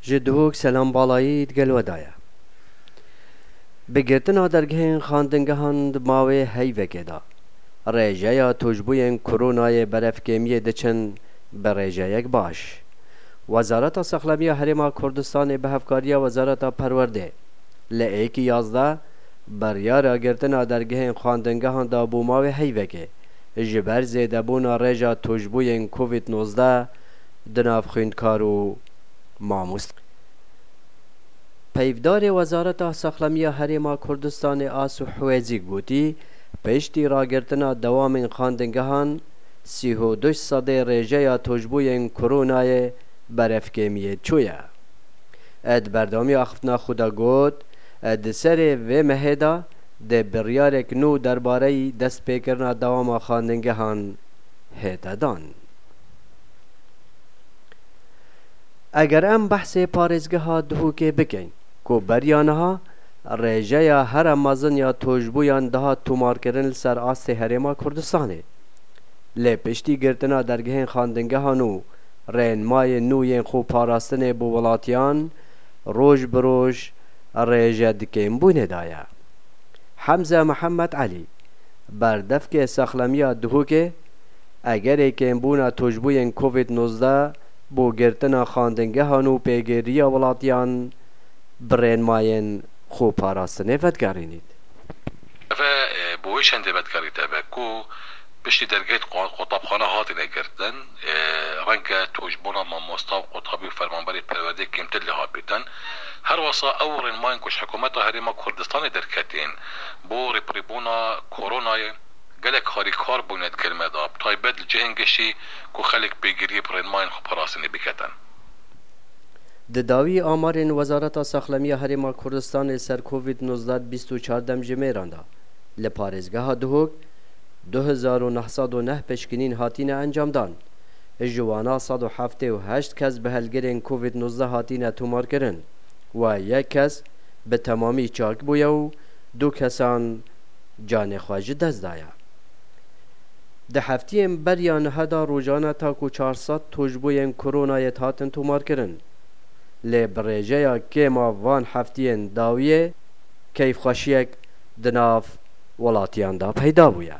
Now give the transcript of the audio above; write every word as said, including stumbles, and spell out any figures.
Ji Duhok selam balayî digel we daye. Bi girtina dergehên xwendingehan di mawê heyvekê de, rêjeya tûşbûyên koronayê berevkêmiyê diçin bi rêjeyek baş. Wezareta Sexlemiya Herêma Kurdistanê bi hevkariya Wezareta Perwerdê li êkî yazdeh biryara girtina dergehên xwendingehan da bo mawê heyvekê, ji ber zêdebûna rêja tûşbûyên Covid nozdeh di nav xwîndkar û mamost. Peyvdarê Wezareta Sexlemiya Herêma Kurdistanê Asu Hwêzî gotî, piştî ragirtina dewamên xwendingehan, sî û du sedê rêjeya tûşbûyên koronayê berevkêmiyê çûye. Di berdewamiya axiftina xwe de got, di serê vê mehê de dê biryarek nû derbareyî destpêkirina dewama xwendingehan hête dan. Eger em behsê parêzgeha Duhokê bikin, ku beriya niha rêjeya here mezin ya tûşbûyan dihat tomarkirin li ser astê Herêma Kurdistanê. Lê piştî girtina dergehên xwendingehan û rênmayên nû yên xweparastinê bo welatiyan, roj bi roj rêje di kêmbûnê de ye. Hemze Mihemed Elî, berdevkê Sexlemiya Duhokê, egerê kêmbûna tûşbûyên Covid nozdeh bo girtina xwendingehan û pêgiriya welatiyan bi rênmayên xweparastinê vedigerînît. Eve, e, bo wê şendê vedigerît eve ku piştî dergehê qo-, qotabxane hatine girtin, e, renge tûşbûna mamosta û qotabî û fermanberê perwerdê kêmtir lê hat bîtin. Her wesa ew rênmayên ku ji hikûmeta Herêma Kurdistanê derketên bo rêpirîbûna koronayê gelek harîkar bûne di gel me de, bi taybet li cihên giştî ku xelk pêgiriyê bi rênmayên xweparastinê biketin. Di dawî amarên Wezareta Saxlemiya Herêma Kurdistanê ser Covid nozdeh bîst û çar demjimêran de, li parêzgeha Duhok du hezar û neh sed û neh pişkinîn hatine encamdan. Ji wana sed û heftê û heşt kes bi helgirên Covid nozdeh hatine tomarkirin. Wa yek kes bi temamî çak bûye û du kesan canê xwe ji dest daye. Di heftiyên beriya niha de rojane ta ku çar sed tûşbûyên koronayê hatin tomarkirin. Lê bi rêjeya kêma van heftiyên dawiyê keyfxweşiyek di nav welatiyan de peyda bûye.